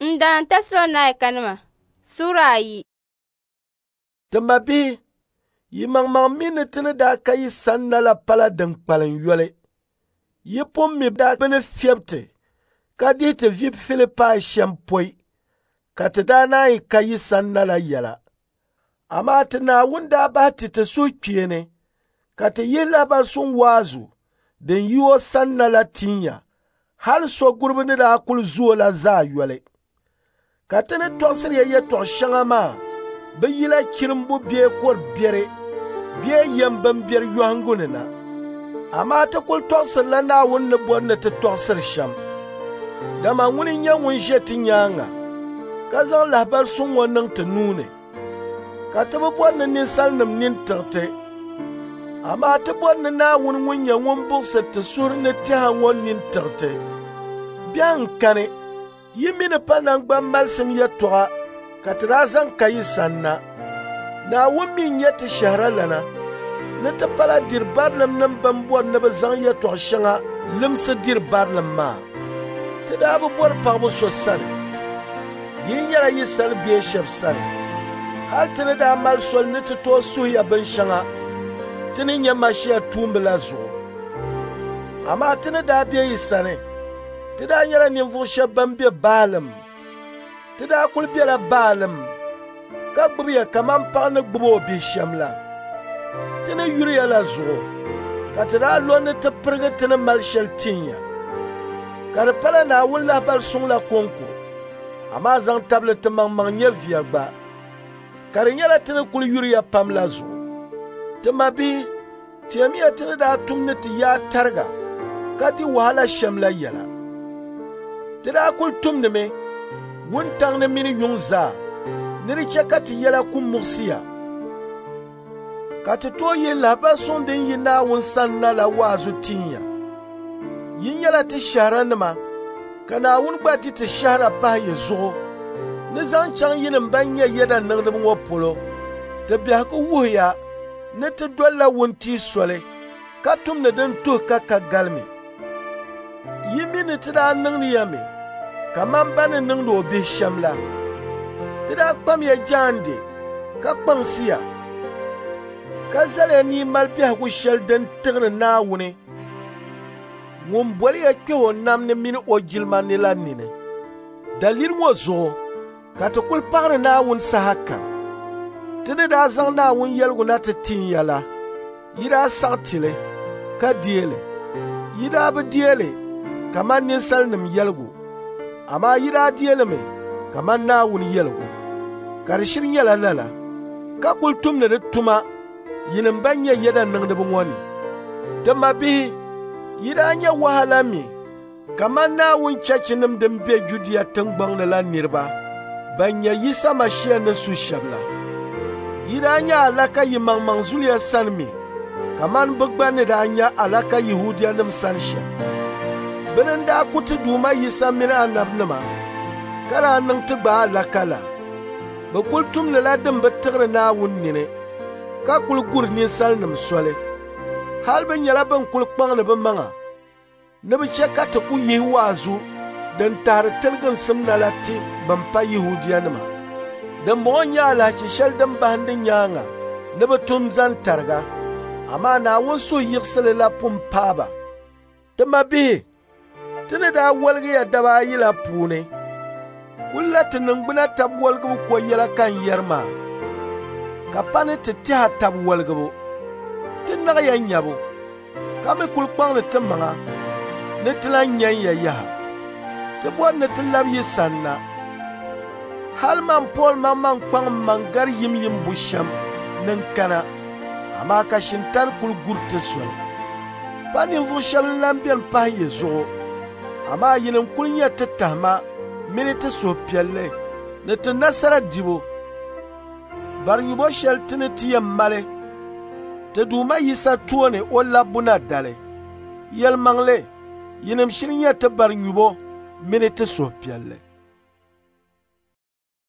N dan Tɛsalɔnaika suura 2. Ti mabihi, yi maŋmaŋ mi ni ti ni daa ka yi sanna la pala din kpalim yoli. Yi pun mi daa bɛ ni fiɛbi ti ka dihi ti vi Filipai shɛm pɔi, ka ti daa naan ka yi sanna la yɛla. Amaa ti Naawuni daa bahi ti ti suhukpeeni ka ti yihi lahibali suŋ waazu din yi o sanna la tin ya, hal so guribu ni daa kul zo la zaa yoli. Ka ti ni tɔɣisiri ya yɛtɔɣ shɛŋa maa bi yila chirimbu bee kɔr biɛri bee yɛm bimbɛri yɔhiŋgu ni na. Amaa ti kul tɔɣisirila Naawuni ni bɔri ni ti tɔɣisiri shɛm. Dama ŋuni n-nyɛ ŋun ʒe ti nyaaŋa ka zaŋ lahibali suŋ ŋɔ niŋ ti nuu ni. Ka ti bi bɔri ni ninsalinim nini tiɣi ti. Amaa ti bɔri ni Naawuni ŋun nyɛ ŋun buɣisiri ti suhuri ni tɛha ŋɔ nini tiɣi ti. Biɛhiŋ kani, yi mi ni pa naŋgban malisim yɛtɔɣa ka ti daa zaŋ ka yi sanna. Naawuni mi n-nyɛ ti shɛhiralana ni ti pala diri barilim nim bɛn bɔri ni bɛ zaŋ yɛtɔɣ shɛŋa limsi diri barilim maa. Ti daa bi bɔri paɣibu so sani, di yi nyɛla yi sani bee shɛb sani. Hal ti ni daa mali soli ni ti tooi suhi ya binshɛŋa ti ni nyɛ Mashia tuumba la zuɣu. Amaa ti ni daa be yi sani, ti daa nyɛla ninvuɣ shɛb bɛn be baalim. Ti daa kul bela baalim ka gbibi ya kaman paɣ ni gbibi o bihi shɛm la. Ti ni yuri ya la zuɣu ka ti daa lo ni ti pirigi ti ni mali shɛli tin ya. Ka di pala Naawuni lahibali suŋ la kɔŋko, amaa zaŋ tabili ti maŋmaŋ nyɛviya gba. Ka di nyɛla ti ni kul yuri ya pam la zuɣu. Ti mabihi, teemiya ti ni daa tum ni ti yaa tariga ka di wahala shɛm la yɛla. Ti daa kul tumdimi wuntaŋ ni mini yuŋ zaa ni di chɛ ka ti yɛla ku muɣisi ya, ka ti tooi yihi lahibali suŋ din yi Naawuni sani na la waazu tin ya. Yi nyɛla ti shɛhiranima, ka Naawuni gba di ti shɛhira pahi yi zuɣu ni zaŋ chaŋ yinim bɛn nyɛ yɛda niŋdiba ŋɔ polo. Ti biɛhigu wuhiya ni ti dolila wuntia soli ka tumdi din tuhi ka ka galimi. Yi mi ni ti daa niŋdi ya mi kaman ba ni niŋdi o bihi shɛm la. Ti daa kpamiya jaande ka kpaŋsi ya, ka zali ya ni yi mali biɛhigu shɛli din tiɣiri Naawuni ŋun boli ya kpɛh o nam ni mini o jilima ni la nini. Daliri ŋɔ zuɣu ka ti kul paɣiri Naawuni sahakam. Ti ni daa zaŋ Naawuni yɛligu na ti tin ya la, yi daa saɣi ti li ka deei li. Yi daa bi deei li kaman ninsalinim yɛligu, amaa yi daa deei li mi kaman Naawuni yɛligu. Ka di shiri nyɛla lala, ka kul tumdi di tuma yinim bɛn nyɛ yɛda niŋdiba ŋɔ ni. Ti mabihi, yi daa nya wahala mi kaman Naawuni chechinim din be Judia tiŋgbɔŋ ni la niriba bɛn nyɛ Yisa Mashia ni su shɛb la. Yi daa nya alaka yi maŋmaŋ zuliya sani mi kaman bɛ gba ni daa nya alaka Yɛhudianim sani shɛm. Bɛ ni daa ku ti Duuma Yisa mini anabinima ka daa niŋ ti gba alaka la. Bɛ kul tumdila din bi tiɣiri Naawuni nini ka kul guri ninsalinim soli. Hal bɛ nyɛla bɛn kul kpaŋdi bɛ maŋa ni bɛ chɛ ka ti ku yihi waazu din tahiri tiliginsim na la ti bɛn pa Yɛhudianima. Dimbɔŋɔ n-nyɛ alahichi shɛli din bahindi nyaaŋa ni bɛ tum zani tariga, amaa Naawuni suhuyiɣisili la pun paai ba. Ti mabihi, ti ni daa woligi ya daba ayi la puuni, kulla ti niŋgbuna tab woligibu ko yɛla ka n yɛri maa, ka pa ni ti tɛha tab woligibu. Ti naɣ ya nyabu, ka mi kul kpaŋdi ti maŋa ni ti lan nyan ya yaha. Ti bɔri ni ti labi yi sanna. Hal man Pool maŋmaŋ kpaŋ mmaŋ gari yimyim bushɛm ni n kana, amaa ka shintani kul guri ti soli. Pa ninvuɣ shɛb n-lan beni pahi yi zuɣu, amaa yinim kul nyɛ ti tahima mini ti suhupiɛlli ni ti nasara dibu. Barinyubo shɛli ti ni ti yɛn mali ti Duuma Yisa tooni o labbu na dali. Yɛlimaŋli, yinim shiri nyɛ ti barinyubo mini ti suhupiɛlli.